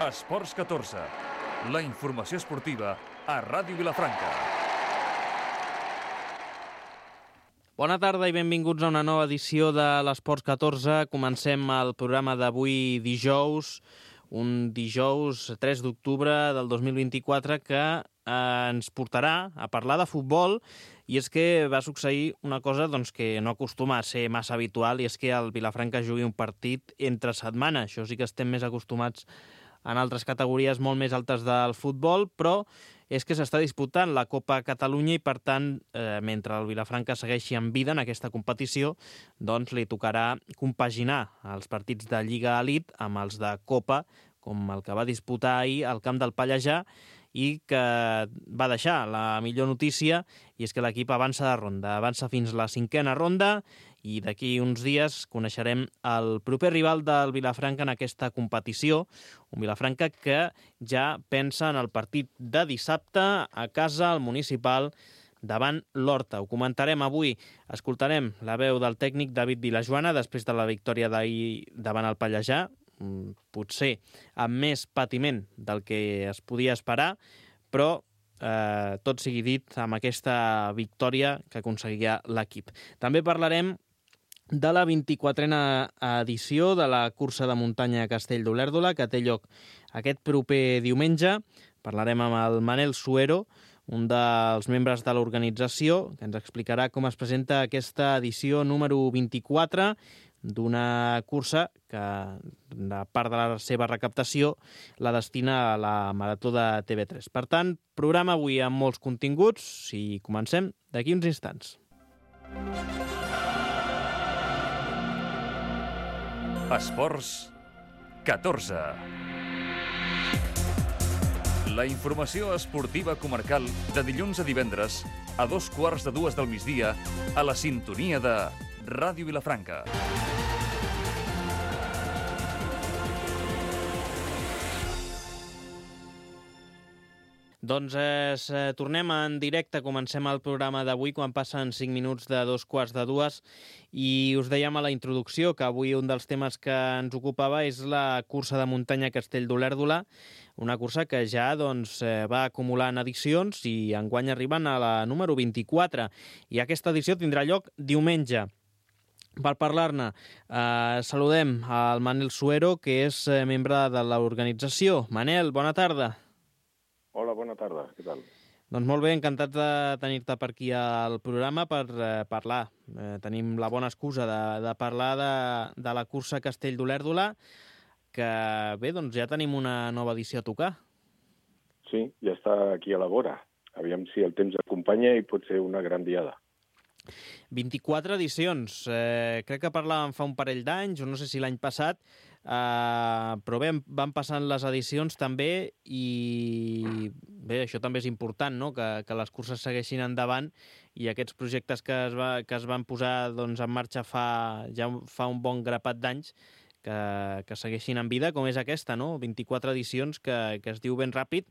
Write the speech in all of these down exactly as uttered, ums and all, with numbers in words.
Esports catorze, la informació esportiva a Ràdio Vilafranca. Bona tarda i benvinguts a una nova edició de l'Esports catorze. Comencem el programa d'avui dijous, un dijous tres d'octubre del dos mil vint-i-quatre que eh, ens portarà a parlar de futbol, i és que va succeir una cosa doncs, que no acostuma a ser massa habitual, i és que el Vilafranca jugui un partit entre setmana. Això sí que estem més acostumats en altres categories molt més altes del futbol, però és que s'està disputant la Copa Catalunya i, per tant, eh, mentre el Vilafranca segueixi en vida en aquesta competició, doncs li tocarà compaginar els partits de Lliga Elite amb els de Copa, com el que va disputar ahir al camp del Pallejà, i que va deixar la millor notícia, i és que l'equip avança de ronda, avança fins la cinquena ronda, i d'aquí uns dies coneixerem el proper rival del Vilafranca en aquesta competició, un Vilafranca que ja pensa en el partit de dissabte a casa, al Municipal, davant l'Horta. Ho comentarem avui. Escoltarem la veu del tècnic David Vilajoana després de la victòria d'ahir davant el Pallejà, potser amb més patiment del que es podia esperar, però eh, tot sigui dit amb aquesta victòria que aconseguia l'equip. També parlarem de la vint-i-quatrena edició de la cursa de muntanya a Castell d'Olèrdola, que té lloc aquest proper diumenge. Parlarem amb el Manel Suero, un dels membres de l'organització, que ens explicarà com es presenta aquesta edició número vint-i-quatre d'una cursa que, de part de la seva recaptació, la destina a la Marató de T V tres. Per tant, programa avui amb molts continguts i comencem d'aquí uns instants. Esports catorze. La informació esportiva comarcal de dilluns a divendres a dos quarts de dues del migdia a la sintonia de Ràdio Vilafranca. Doncs eh, tornem en directe, comencem el programa d'avui quan passen cinc minuts de dos quarts de dues, i us dèiem a la introducció que avui un dels temes que ens ocupava és la cursa de muntanya a Castell d'Olèrdola, una cursa que ja doncs, eh, va acumulant edicions i enguany arriben a la número vint-i-quatre, i aquesta edició tindrà lloc diumenge. Per parlar-ne, eh, saludem al Manel Suero, que és eh, membre de l'organització. Manel, bona tarda. Hola, bona tarda, què tal? Doncs molt bé, encantat de tenir-te per aquí al programa per eh, parlar. Eh, tenim la bona excusa de, de parlar de, de la cursa Castell d'Olèrdola, que bé, doncs ja tenim una nova edició a tocar. Sí, ja està aquí a la vora. Aviam si el temps acompanya i pot ser una gran diada. vint-i-quatre edicions. Eh, crec que parlàvem fa un parell d'anys, o no sé si l'any passat, eh, però bé, van passant les edicions també, i bé, això també és important, no?, que, que les curses segueixin endavant, i aquests projectes que es, va, que es van posar doncs, en marxa fa, ja fa un bon grapat d'anys, que, que segueixin en vida, com és aquesta, no?, vint-i-quatre edicions, que, que es diu ben ràpid,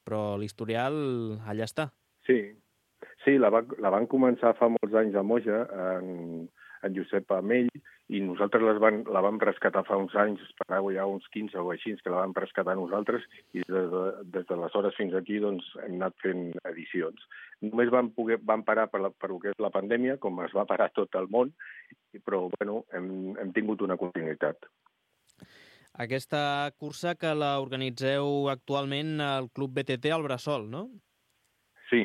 però l'historial allà està. Sí, Sí, la, va, la van començar fa molts anys a Moja, en, en Josep Amell, i nosaltres les van, la vam rescatar fa uns anys, per ja uns quinze o així, que la vam rescatar nosaltres, i des, de, des d'aleshores fins aquí doncs, hem anat fent edicions. Només vam, poder, vam parar per, la, per el que és la pandèmia, com es va parar tot el món, però bueno, hem, hem tingut una continuïtat. Aquesta cursa que la organitzeu actualment al Club B T T al Bressol, no? Sí,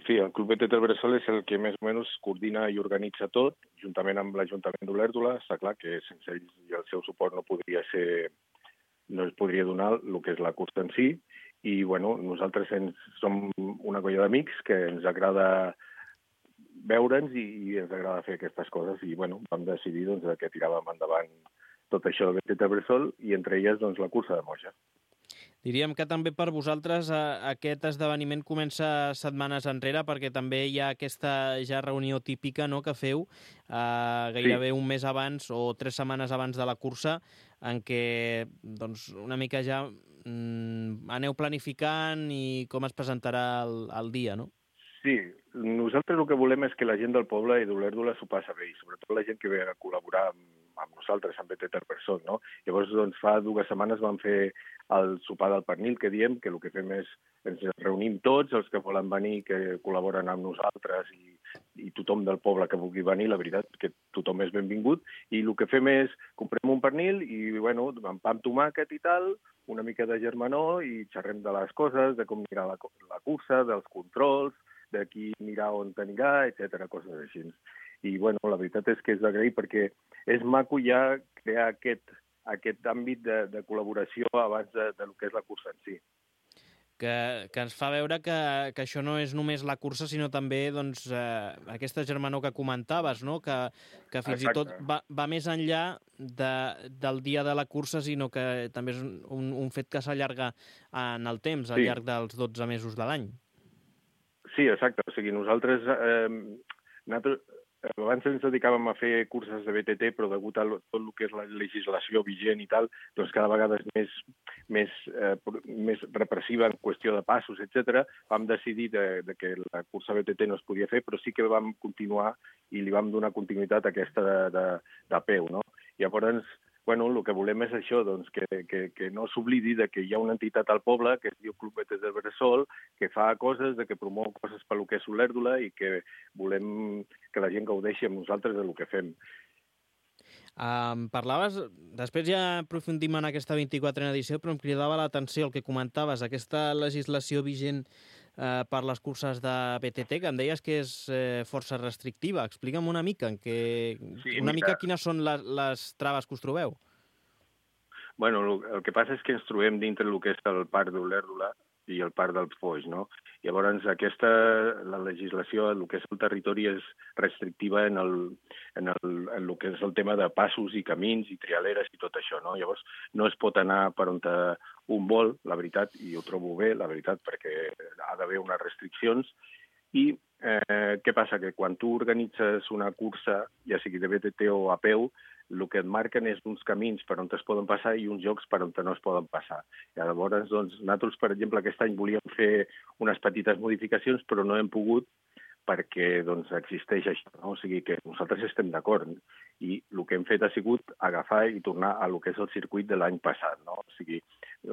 Sí, el Club B T T del Bressol és el que més o menys coordina i organitza tot, juntament amb l'Ajuntament d'Olèrdola. Està clar que sense ells i el seu suport no podria ser, no es podria donar el que és la cursa en si. I bueno, nosaltres ens, som una colla d'amics que ens agrada veure'ns i, i ens agrada fer aquestes coses. I bueno, vam decidir doncs, que tiràvem endavant tot això del B T T del Bressol i entre elles doncs, la cursa de Moja. Diríem que també per vosaltres eh, aquest esdeveniment comença setmanes enrere, perquè també hi ha aquesta ja reunió típica, no?, que feu eh, gairebé sí. un mes abans o tres setmanes abans de la cursa, en què doncs, una mica ja mm, aneu planificant i com es presentarà el, el dia, no? Sí, nosaltres el que volem és que la gent del poble i d'Olèrdola s'ho passa bé, i sobretot la gent que ve a col·laborar amb, amb nosaltres, nosaltres amb B T Terversol, no? Llavors, doncs, fa dues setmanes vam fer el sopar del pernil, que diem que el que fem és ens reunim tots, els que volen venir, que col·laboren amb nosaltres i, i tothom del poble que vulgui venir, la veritat que tothom és benvingut, i el que fem és comprem un pernil i, bueno, amb pa amb tomàquet i tal, una mica de germanor i xerrem de les coses, de com anirà la, la cursa, dels controls, de qui anirà on anirà, etcètera, coses així. I, bueno, la veritat és que és d'agrair perquè és maco ja crear aquest, aquest àmbit de, de col·laboració abans de, de lo que és la cursa en si. Que, que ens fa veure que, que això no és només la cursa, sinó també doncs, eh, aquesta germanor que comentaves, no? que, que fins Exacte. i tot va, va més enllà de, del dia de la cursa, sinó que també és un, un fet que s'allarga en el temps, al sí. llarg dels dotze mesos de l'any. Sí, exacte. O sigui, nosaltres, eh, nosaltres abans ens dedicàvem a fer curses de B T T, però degut a tot el que és la legislació vigent i tal, doncs cada vegada és més, més, eh, més repressiva en qüestió de passos, etcètera. Vam decidir de, de que la cursa B T T no es podia fer, però sí que vam continuar i li vam donar continuïtat a aquesta de, de, de peu, no? Llavors, bueno, el que volem és això, doncs, que, que, que no s'oblidi de que hi ha una entitat al poble que es diu Club B T Terversol, que fa coses, de que promou coses per lo que és Olèrdola i que volem que la gent gaudeixi amb nosaltres de lo que fem. Um, parlaves, després ja aprofundim en aquesta vint-i-quatrena edició, però em cridava l'atenció el que comentaves, aquesta legislació vigent eh, per les curses de B T T, que em deies que és eh, força restrictiva. Explica'm una mica, en què, sí, una mira. mica quines són les, les traves que us trobeu. Bueno, el, el que passa és que ens trobem dintre el que és el parc d'Olèrdola i el parc del Foix, no? Llavors, aquesta, la legislació, el que és el territori és restrictiva en el, en el, en el que és el tema de passos i camins i trialeres i tot això, no? Llavors, no es pot anar per on un vol, la veritat, i ho trobo bé, la veritat, perquè ha d'haver unes restriccions. I eh, què passa? Que quan tu organitzes una cursa, ja sigui de B T T o a peu, el que et marquen és uns camins per on es poden passar i uns jocs per on no es poden passar. I llavors, doncs, nosaltres, per exemple, aquest any volíem fer unes petites modificacions, però no hem pogut perquè doncs, existeix això, no? O sigui que nosaltres estem d'acord i el que hem fet ha sigut agafar i tornar a lo que és el circuit de l'any passat, no? O sigui,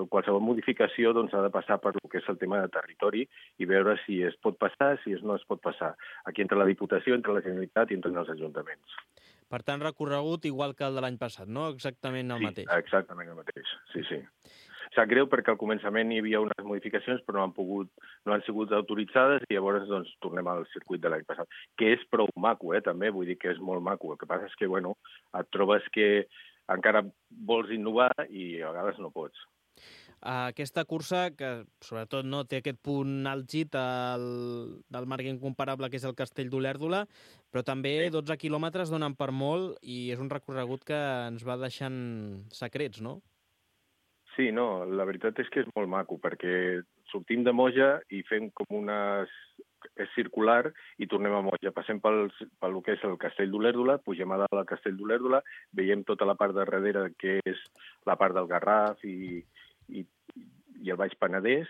qualsevol modificació doncs, ha de passar per lo que és el tema de territori i veure si es pot passar, si es no es pot passar. Aquí entre la Diputació, entre la Generalitat i entre els ajuntaments. Per tant, recorregut igual que el de l'any passat, no? Exactament el sí, mateix. Sí, exactament el mateix, sí, sí. Sap greu perquè al començament hi havia unes modificacions però no han pogut, no han sigut autoritzades i llavors doncs, tornem al circuit de l'any passat, que és prou maco, eh, també, vull dir que és molt maco. El que passa és que, bueno, et trobes que encara vols innovar i a vegades no pots. Aquesta cursa, que sobretot no té aquest punt àlgid el, del marc incomparable que és el Castell d'Olèrdola, però també sí. dotze quilòmetres donen per molt i és un recorregut que ens va deixant secrets, no? Sí, no, la veritat és que és molt maco, perquè sortim de Moja i fem com una... és circular i tornem a Moja. Passem pel, pel que és el Castell d'Olèrdola, pugem a dalt al Castell d'Olèrdola, veiem tota la part de darrere que és la part del Garraf i, i, i el Baix Penedès,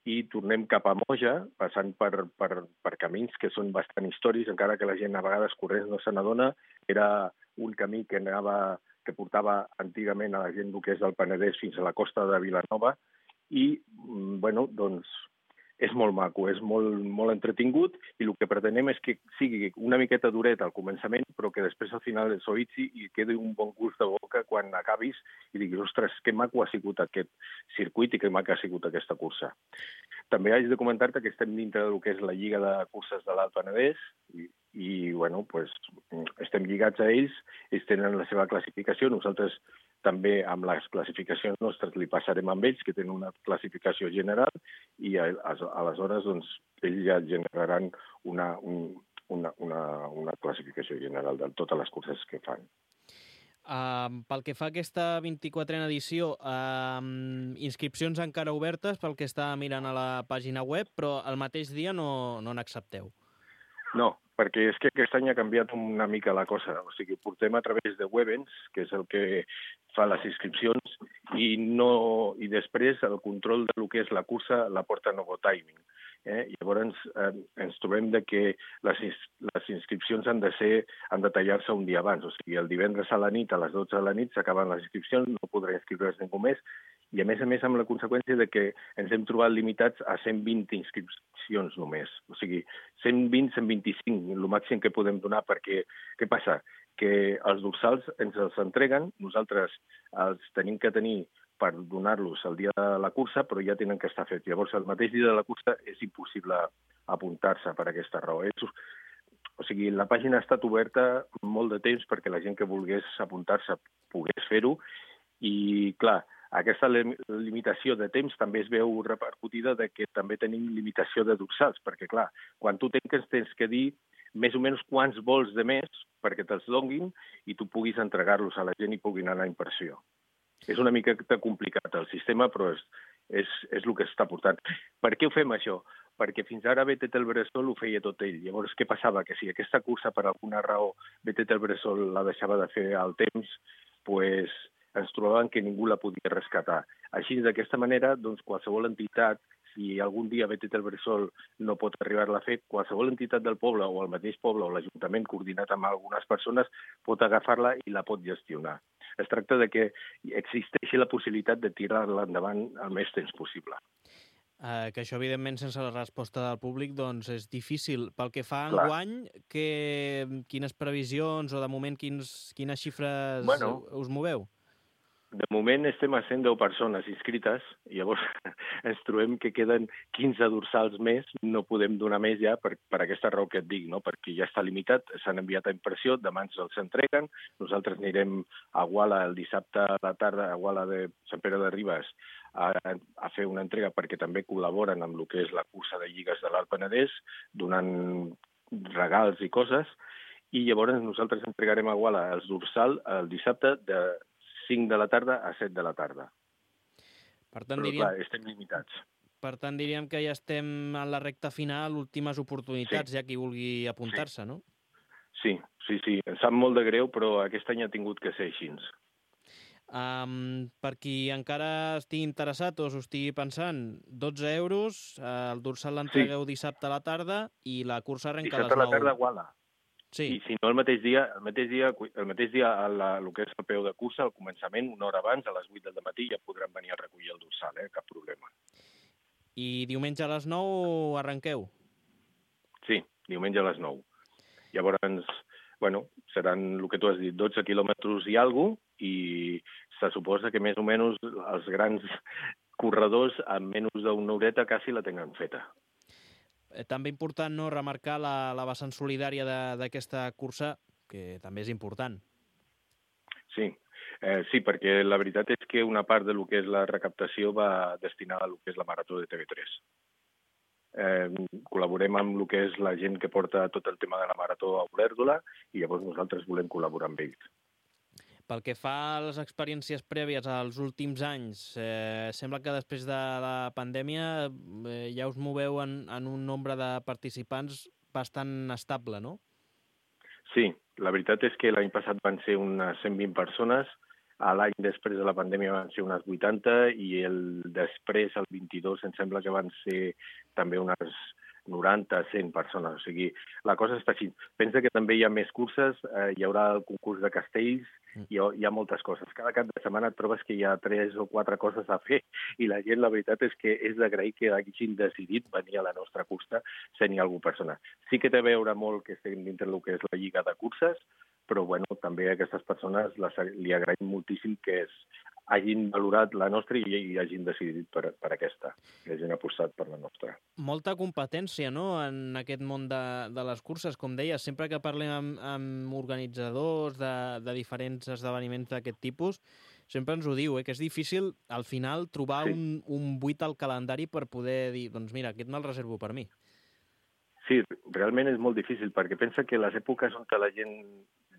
i tornem cap a Moja, passant per, per, per camins que són bastant històrics, encara que la gent a vegades corrents no se n'adona. Era un camí que anava... que portava antigament a la gent del que és del Penedès fins a la costa de Vilanova i, bueno, doncs, és molt maco, és molt, molt entretingut i el que pretenem és que sigui una miqueta duret al començament, però que després al final s'oïtzi i quedi un bon gust de boca quan acabis i diguis, ostres, que maco ha sigut aquest circuit i que maco ha sigut aquesta cursa. També haig de comentar-te que estem dintre del que és la Lliga de Curses de l'Alt Penedès i, i bueno, pues, estem lligats a ells, ells tenen la seva classificació, nosaltres també amb les classificacions nostres li passarem amb ells, que tenen una classificació general, i aleshores doncs, ells ja generaran una, un, una, una, una classificació general de totes les curses que fan. Uh, pel que fa a aquesta vint-i-quatrena edició, uh, inscripcions encara obertes pel que està mirant a la pàgina web, però el mateix dia no, no n'accepteu. No, perquè és que aquest any ha canviat una mica la cosa. O sigui, portem a través de Webens, que és el que fa les inscripcions, i, no, i després el control del que és la cursa la porta Novo Timing. Eh? Llavors eh, ens trobem de que les, les inscripcions han de ser han de tallar-se un dia abans. O sigui, el divendres a la nit, a les dotze de la nit, s'acaben les inscripcions, no podrà inscriure's ningú més, i a més a més amb la conseqüència de que ens hem trobat limitats a cent vint inscripcions només. O sigui, cent vint, cent vint-i-cinc, el màxim que podem donar, perquè què passa? Que els dorsals ens els entreguen, nosaltres els tenim que tenir per donar-los el dia de la cursa, però ja tenen que estar fets. Llavors, el mateix dia de la cursa és impossible apuntar-se per aquesta raó. És, o sigui, la pàgina ha estat oberta molt de temps perquè la gent que volgués apuntar-se pogués fer-ho i, clar, aquesta limitació de temps també es veu repercutida de que també tenim limitació de dorsals, perquè, clar, quan tu tanques tens que dir més o menys quants vols de més perquè te'ls donguin i tu puguis entregar-los a la gent i puguin anar a impressió. És una mica complicat el sistema, però és, és, és el que està portant. Per què ho fem, això? Perquè fins ara B T T el Bressol ho feia tot ell. Llavors, què passava? Que si aquesta cursa, per alguna raó, B T T el Bressol la deixava de fer al temps, pues, ens trobaven que ningú la podia rescatar. Així, d'aquesta manera, doncs, qualsevol entitat, si algun dia B T T el Bressol no pot arribar-la a fer, qualsevol entitat del poble o el mateix poble o l'Ajuntament coordinat amb algunes persones pot agafar-la i la pot gestionar. Es tracta de que existeixi la possibilitat de tirar-la endavant el més temps possible. Uh, que això, evidentment, sense la resposta del públic, doncs és difícil. Pel que fa a Clar. enguany, que, quines previsions o, de moment, quins, quines xifres bueno, us moveu? De moment estem a cent deu persones inscrites, i llavors ens trobem que queden quinze dorsals més, no podem donar més ja per, per aquesta raó que et dic, no? Perquè ja està limitat, s'han enviat a impressió, demà ens els entreguen, nosaltres anirem a Guala el dissabte a la tarda, a Guala de Sant Pere de Ribes, a, a fer una entrega perquè també col·laboren amb el que és la cursa de lligues de l'Alt Penedès, donant regals i coses, i llavors nosaltres entregarem a Guala els dorsal el dissabte de cinc de la tarda a set de la tarda. Per tant, Però, diríem, clar, estem limitats. Per tant, diríem que ja estem en la recta final, últimes oportunitats, sí. Ja qui vulgui apuntar-se, sí. no? Sí, sí, sí. Em sap molt de greu, però aquest any ha tingut que ser així. Um, per qui encara estigui interessat o s'ho estigui pensant, dotze euros, uh, el dorsal l'entregueu sí. dissabte a la tarda i la cursa arrenca dissabte a les nou. Dissabte a la tarda a Guala. Sí. I si no, el mateix dia, el mateix dia, el mateix dia a la, el que és el peu de cursa, al començament, una hora abans, a les vuit del matí, ja podran venir a recollir el dorsal, eh? Cap problema. I diumenge a les nou arrenqueu? Sí, diumenge a les nou. Llavors, bueno, seran el que tu has dit, dotze quilòmetres i alguna cosa, i se suposa que més o menys els grans corredors en menys d'una horeta quasi la tenen feta. També important, no?, remarcar la, la vessant solidària d'aquesta cursa, que també és important. Sí, eh, sí, perquè la veritat és que una part de lo que és la recaptació va destinada a lo que és la Marató de T V tres. Eh, col·laborem amb lo que és la gent que porta tot el tema de la Marató a Olèrdola i llavors nosaltres volem col·laborar amb ells. Pel que fa a les experiències prèvies als últims anys, eh, sembla que després de la pandèmia eh, ja us moveu en, en un nombre de participants bastant estable, no? Sí, la veritat és que l'any passat van ser unes cent vint persones, l'any després de la pandèmia van ser unes vuitanta i el després, el vint-i-dos, em sembla que van ser també unes noranta, cent persones. O sigui, la cosa està així. Pensa que també hi ha més curses, eh, hi haurà el concurs de castells, hi ha, hi ha moltes coses. Cada cap de setmana et trobes que hi ha tres o quatre coses a fer i la gent, la veritat és que és d'agrair que hagin decidit venir a la nostra cursa sent hi algú persona. Sí que té a veure molt que estem dintre del que és la lliga de curses, però bueno, també a aquestes persones les, li agraïm moltíssim que es, hagin valorat la nostra i, i hagin decidit per, per aquesta, que hagin apostat per la nostra. Molta competència, no?, en aquest món de, de les curses. Com deies, sempre que parlem amb, amb organitzadors de, de diferents esdeveniments d'aquest tipus, sempre ens ho diu, eh, que és difícil, al final, trobar sí. un, un buit al calendari per poder dir, doncs mira, aquest me'l reservo per mi. Sí, realment és molt difícil, perquè pensa que les èpoques on la gent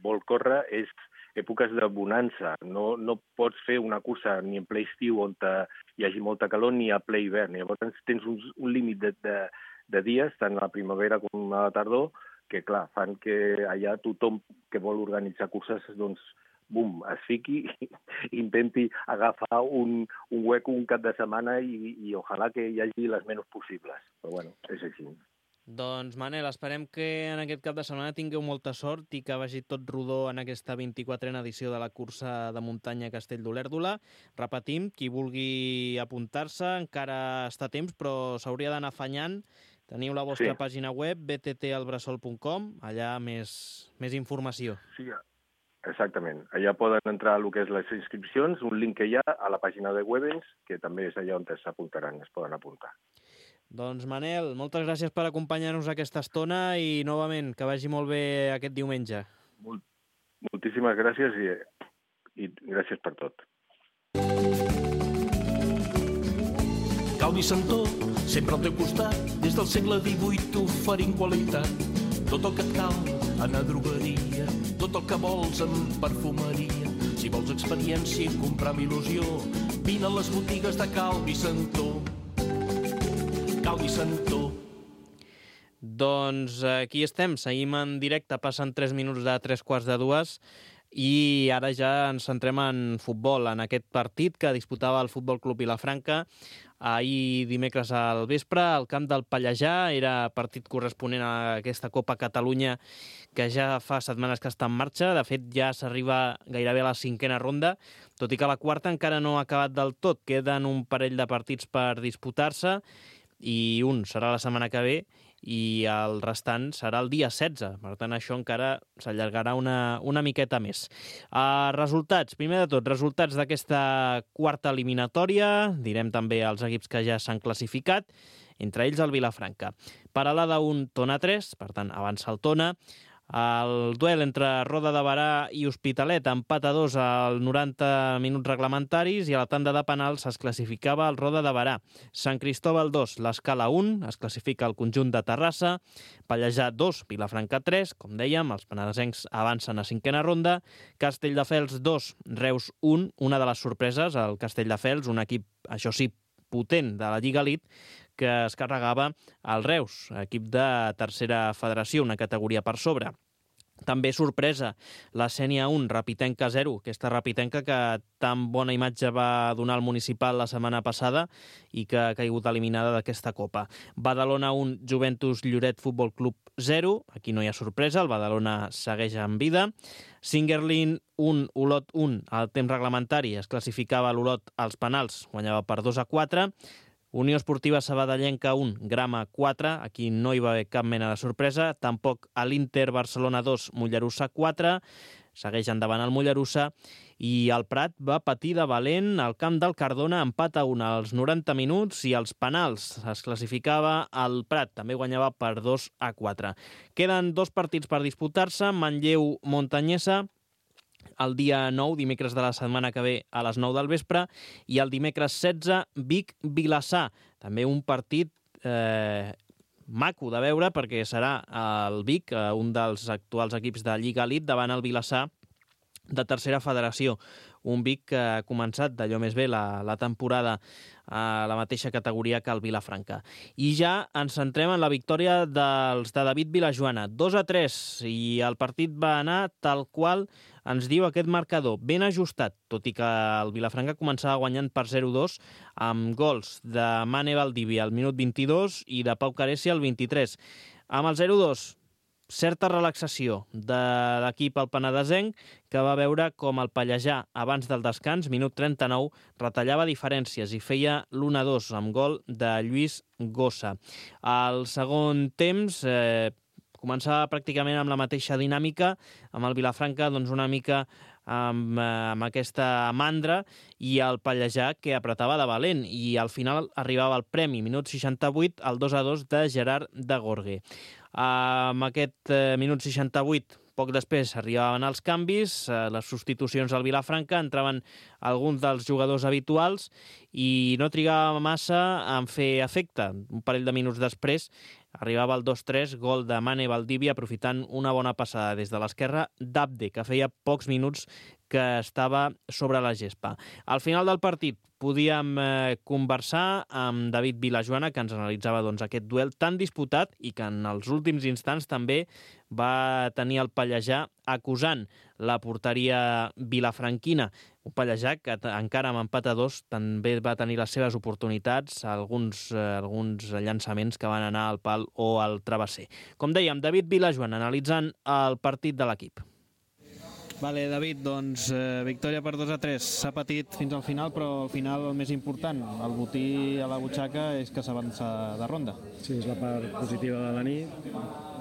vol córrer és èpoques de bonança. No, no pots fer una cursa ni en ple estiu on hi hagi molta calor ni a ple hivern. Llavors tens un, un límit de, de, de dies, tant a la primavera com a la tardor, que clar, fan que allà tothom que vol organitzar curses doncs, bum, es fiqui i intenti agafar un, un hueco un cap de setmana i, i ojalà que hi hagi les menys possibles. Però bueno, és així. Doncs, Manel, esperem que en aquest cap de setmana tingueu molta sort i que vagi tot rodó en aquesta vint-i-quatrena edició de la cursa de muntanya Castell d'Olèrdola. Repetim, qui vulgui apuntar-se encara està a temps, però s'hauria d'anar afanyant. Teniu la vostra sí. pàgina web, b t t al bressol punt com, allà més, més informació. Sí, exactament. Allà poden entrar a el que és les inscripcions, un link que hi ha a la pàgina de Webens, que també és allà on s'apuntaran, es poden apuntar. Doncs, Manel, moltes gràcies per acompanyar-nos aquesta estona i, novament, que vagi molt bé aquest diumenge. Molt, moltíssimes gràcies i, i gràcies per tot. Calvi Santó, sempre al teu costat, des del segle divuit oferint qualitat. Tot el que et cal en la drogueria, tot el que vols en perfumeria. Si vols experiència i comprar amb il·lusió, vine a les botigues de Calvi Santó. Calvi Santó. Doncs aquí estem, seguim en directe, passen tres minuts de tres quarts de dues i ara ja ens centrem en futbol, en aquest partit que disputava el Futbol Club Vilafranca ahir dimecres al vespre al camp del Pallejà. Era partit corresponent a aquesta Copa Catalunya que ja fa setmanes que està en marxa. De fet, ja s'arriba gairebé a la cinquena ronda, tot i que la quarta encara no ha acabat del tot. Queden un parell de partits per disputar-se i un serà la setmana que ve i el restant serà el dia setze. Per tant, això encara s'allargarà una, una miqueta més. Uh, resultats, primer de tot, resultats d'aquesta quarta eliminatòria. Direm també els equips que ja s'han classificat, entre ells el Vilafranca. Paralada un, Tona tres, per tant, avança el Tona. El duel entre Roda de Berà i Hospitalet, empat a dos al noranta minuts reglamentaris i a la tanda de penals es classificava el Roda de Berà. Sant Cristóbal dos, l'Escala un, es classifica el conjunt de Terrassa. Pallejà dos, Vilafranca tres, com dèiem, els penedesencs avancen a cinquena ronda. Castelldefels dos, Reus un, una de les sorpreses, el Castelldefels, un equip, això sí, potent de la Lliga Elite, que es carregava el Reus, equip de tercera federació, una categoria per sobre. També sorpresa, la Sènia un, Rapitenca zero, aquesta Rapitenca que tan bona imatge va donar al municipal la setmana passada i que ha caigut eliminada d'aquesta Copa. Badalona un, Juventus Lloret Futbol Club zero, aquí no hi ha sorpresa, el Badalona segueix en vida. Singerlin un, Olot un, al temps reglamentari es classificava l'Olot als penals, guanyava per dos a quatre. Unió Esportiva Sabadellenca un, Grama quatre, aquí no hi va haver cap mena de sorpresa, tampoc a l'Inter Barcelona dos, Mollerussa quatre, segueix endavant el Mollerussa, i el Prat va patir de valent al camp del Cardona, empat a un als noranta minuts, i als penals es classificava el Prat, també guanyava per dos a quatre. Queden dos partits per disputar-se, Manlleu-Montanyesa, el dia nou, dimecres de la setmana que ve a les nou del vespre, i el dimecres setze, Vic-Vilassar. També un partit eh, maco de veure perquè serà el Vic, eh, un dels actuals equips de Lliga Elite, davant el Vilassar de tercera federació. Un Vic que ha començat d'allò més bé la, la temporada a la mateixa categoria que el Vilafranca. I ja ens centrem en la victòria dels de David Vilajoana, dos a tres, i el partit va anar tal qual ens diu aquest marcador, ben ajustat, tot i que el Vilafranca començava guanyant per zero a dos amb gols de Mane Valdivia al minut vint-i-dos i de Pau Caresi al vint-i-tres. Amb el zero a dos, certa relaxació de l'equip al penedesenc, que va veure com el Pallejà, abans del descans, minut trenta-nou, retallava diferències i feia l'u a dos amb gol de Lluís Gossa. Al segon temps eh, començava pràcticament amb la mateixa dinàmica, amb el Vilafranca doncs una mica amb, amb aquesta mandra, i el Pallejà que apretava de valent, i al final arribava el premi, minut seixanta-vuit, el dos a dos de Gerard de Gorgue. Amb aquest eh, minut seixanta-vuit, poc després arribaven els canvis, eh, les substitucions al Vilafranca, entraven alguns dels jugadors habituals i no trigava massa en fer efecte. Un parell de minuts després arribava el dos a tres, gol de Mane Valdivia, aprofitant una bona passada des de l'esquerra d'Abde, que feia pocs minuts que estava sobre la gespa. Al final del partit podíem eh, conversar amb David Vilajoana, que ens analitzava doncs, aquest duel tan disputat i que en els últims instants també va tenir el Pallejà acusant la porteria vilafranquina. Un Pallejà que encara amb empat a dos també va tenir les seves oportunitats, alguns, eh, alguns llançaments que van anar al pal o al travesser. Com dèiem, David Vilajoan analitzant el partit de l'equip. Vale, David, doncs eh, victòria per dos a tres. S'ha patit fins al final, però al final el més important, el botí a la butxaca, és que s'avança de ronda. Sí, és la part positiva de la nit.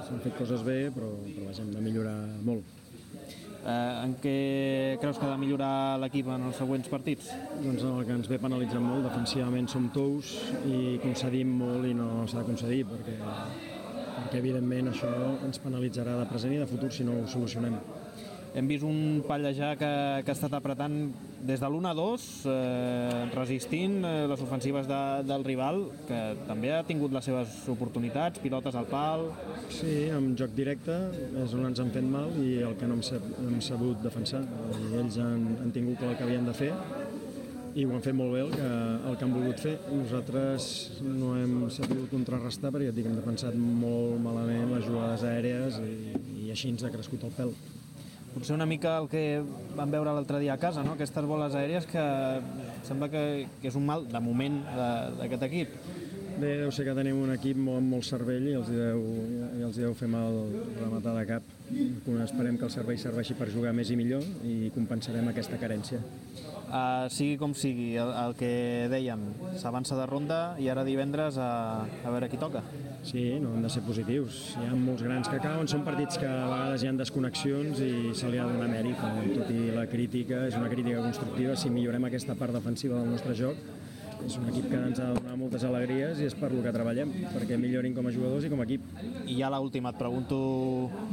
S'han fet coses bé, però, però vaja, hem de millorar molt. Eh, en què creus que ha de millorar l'equip en els següents partits? Doncs el que ens ve penalitzant molt, defensivament som tous i concedim molt i no s'ha de concedir, perquè, perquè evidentment això ens penalitzarà de present i de futur si no ho solucionem. Hem vist un Pallejà que, que ha estat apretant des de l'u a dos, eh, resistint eh, les ofensives de, del rival, que també ha tingut les seves oportunitats, pilotes al pal... Sí, amb joc directe és on ens han fet mal i el que no hem, sab hem sabut defensar. I ells han, han tingut el que havien de fer i ho han fet molt bé el que, el que han volgut fer. Nosaltres no hem sabut contrarrestar perquè ja dic, hem defensat molt malament les jugades aèries i, i així ens ha crescut el pèl. Potser una mica el que vam veure l'altre dia a casa, no? Aquestes boles aèries que sembla que, que és un mal, de moment, d'aquest equip. Bé, deu ser que tenim un equip molt, amb molt cervell i els deu, i els deu fer mal rematar de cap. Esperem que el cervell serveixi per jugar més i millor i compensarem aquesta carència. Uh, sigui com sigui, el, el que dèiem, s'avança de ronda i ara divendres a, a veure qui toca. Sí, no han de ser positius. Hi ha molts grans que cauen, són partits que a vegades hi ha desconnexions i se li ha de donar mèrit. Tot i la crítica, és una crítica constructiva. Si millorem aquesta part defensiva del nostre joc, és un equip que ens ha de donar moltes alegries i és per lo que treballem, perquè millorin com a jugadors i com a equip. I ja l'última, et pregunto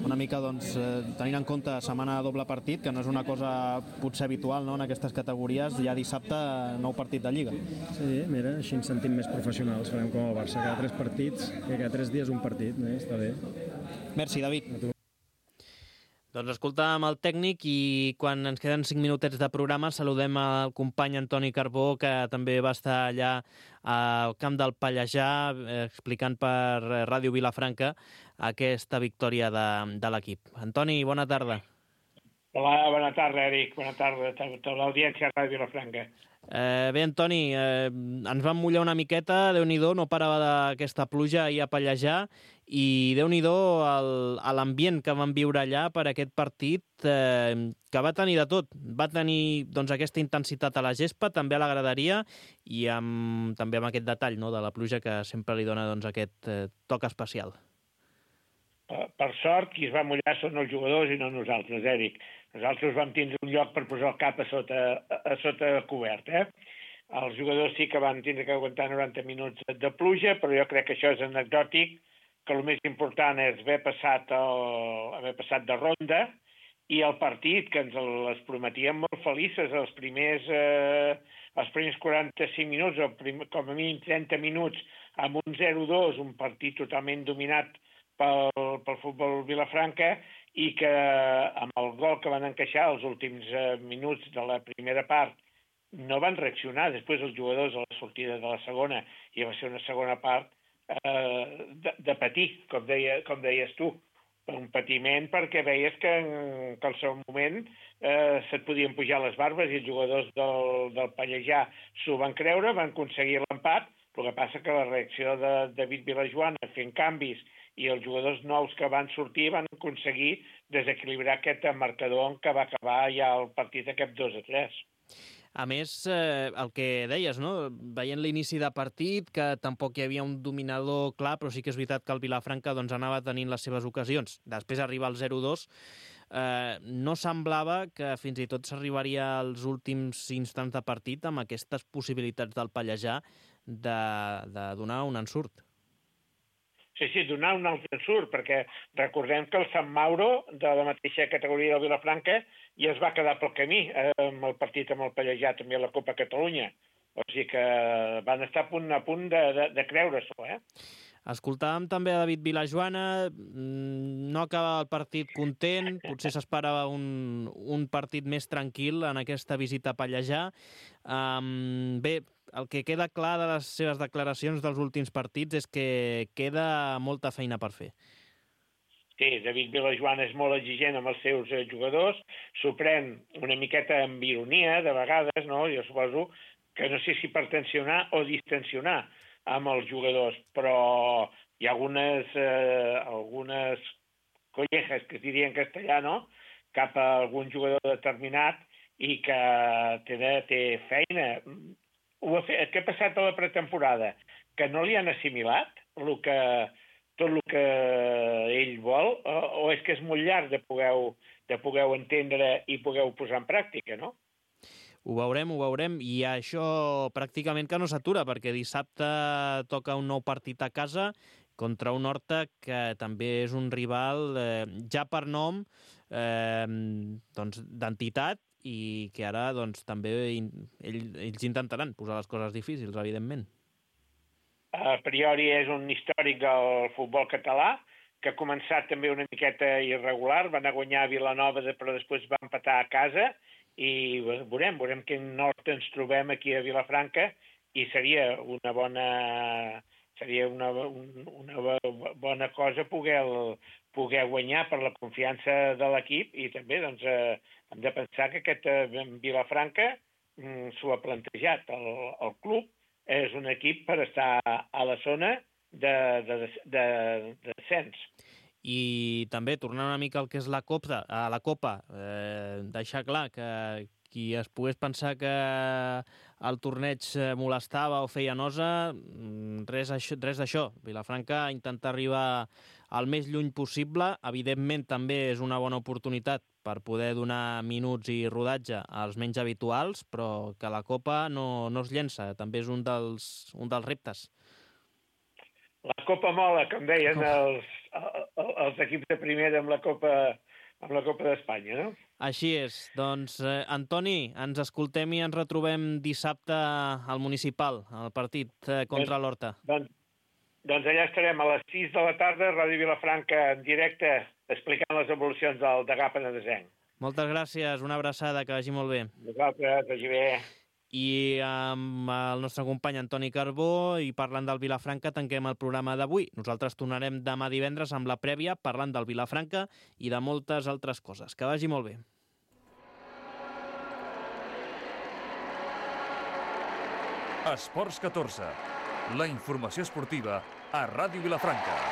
una mica, doncs, eh, tenint en compte setmana doble partit, que no és una cosa potser habitual, no?, en aquestes categories, ja dissabte nou partit de Lliga. Sí, mira, així ens sentim més professionals, farem com el Barça, cada tres partits, que cada tres dies un partit, eh? Està bé. Merci, David. Doncs escoltàvem el tècnic i quan ens queden cinc minutets de programa saludem al company Antoni Carbó, que també va estar allà al camp del Pallejà eh, explicant per Ràdio Vilafranca aquesta victòria de, de l'equip. Antoni, bona tarda. Hola, bona tarda, Eric. Bona tarda a tota l'audiència de Ràdio Vilafranca. Eh, bé, Antoni, eh, ens vam mullar una miqueta, Déu-n'hi-do, no parava d'aquesta pluja ahir a Pallejà i Déu-n'hi-do l'ambient que vam viure allà per aquest partit, eh, que va tenir de tot. Va tenir doncs, aquesta intensitat a la gespa, també a la graderia i amb, també amb aquest detall, no?, de la pluja que sempre li dona doncs, aquest eh, toc especial. Per, per sort, qui es va mullar són els jugadors i no nosaltres, Eric. Nosaltres vam tindre un lloc per posar el cap a sota, a, a sota cobert, eh? Els jugadors sí que van tindre que aguantar noranta minuts de pluja, però jo crec que això és anecdòtic, que el més important és haver passat, el, haver passat de ronda i el partit, que ens les prometíem molt felices els primers, eh, els primers quaranta-cinc minuts, o prim, com a mínim trenta minuts, amb un zero dos, un partit totalment dominat pel, pel futbol Vilafranca, i que amb el gol que van encaixar els últims eh, minuts de la primera part no van reaccionar. Després els jugadors a la sortida de la segona, i va ser una segona part eh, de, de patir, com, deia, com deies tu, un patiment perquè veies que, que al seu moment eh, se't podien pujar les barbes i els jugadors del, del Pallejà s'ho van creure, van aconseguir l'empat. El que passa que la reacció de David Vilajoan fent canvis i els jugadors nous que van sortir van aconseguir desequilibrar aquest marcador en què va acabar ja el partit aquest dos a tres. A més, eh, el que deies, no?, veient l'inici de partit, que tampoc hi havia un dominador clar, però sí que és veritat que el Vilafranca doncs, anava tenint les seves ocasions. Després arriba el zero dos, eh, no semblava que fins i tot s'arribaria als últims instants de partit amb aquestes possibilitats del Pallejà de, de donar un ensurt. Sí, sí, donar un altre ensurt, perquè recordem que el Sant Mauro, de la mateixa categoria del Vilafranca, ja es va quedar pel camí eh, amb el partit amb el Pallejà, també a la Copa Catalunya. O sigui que van estar a punt, a punt de, de, de creure-s'ho, eh? Escoltàvem també a David Vilajoana, no acaba el partit content, potser s'esperava un, un partit més tranquil en aquesta visita a Pallejà. Um, bé, el que queda clar de les seves declaracions dels últims partits és que queda molta feina per fer. sí, David Vilajoan és molt exigent amb els seus eh, jugadors, s'ho pren una miqueta amb ironia, de vegades, no? Jo suposo que no sé si per tensionar o distensionar amb els jugadors, però hi ha algunes, eh, algunes collejas, que es diria en castellà, no?, cap a algun jugador determinat i que té, té feina. Ho ha fet, què ha passat a la pretemporada? Que no li han assimilat el que, tot el que ell vol, o, o és que és molt llarg de poder, de poder entendre i poder posar en pràctica, no? Ho veurem, ho veurem, i això pràcticament que no s'atura, perquè dissabte toca un nou partit a casa contra un Horta que també és un rival eh, ja per nom eh, doncs, d'entitat, i que ara doncs, també ell, ells intentaran posar les coses difícils, evidentment. A priori és un històric del futbol català, que ha començat també una miqueta irregular, van a guanyar a Vilanova, però després va empatar a casa, i veurem, veurem quin nord ens trobem aquí a Vilafranca, i seria una bona... seria una, una bona cosa poder, poder guanyar per la confiança de l'equip, i també doncs, eh, hem de pensar que aquest eh, Vilafranca mm, s'ho ha plantejat. El, el club és un equip per estar a la zona de, de, de, de, de descens. I també, tornant una mica al que és la Copa, a la Copa, eh, deixar clar que qui es pogués pensar que el torneig molestava o feia nosa, res, res d'això. Vilafranca intenta arribar al més lluny possible. Evidentment, també és una bona oportunitat per poder donar minuts i rodatge als menys habituals, però que la Copa no, no es llença. També és un dels, un dels reptes. La Copa mola, com deien els, els equips de primera amb la Copa, amb la Copa d'Espanya, no? Així és. Doncs, eh, Antoni, ens escoltem i ens retrobem dissabte al Municipal, al partit eh, contra doncs, l'Horta. Doncs, doncs allà estarem a les sis de la tarda, Ràdio Vilafranca en directe, explicant les evolucions del Degà Penedesenc. Moltes gràcies, una abraçada, que vagi molt bé. Vosaltres, vagi bé. I amb el nostre company Antoni Carbó, i parlant del Vilafranca, tanquem el programa d'avui. Nosaltres tornarem demà divendres amb la prèvia, parlant del Vilafranca i de moltes altres coses. Que vagi molt bé. Esports catorze. La informació esportiva a Ràdio Vilafranca.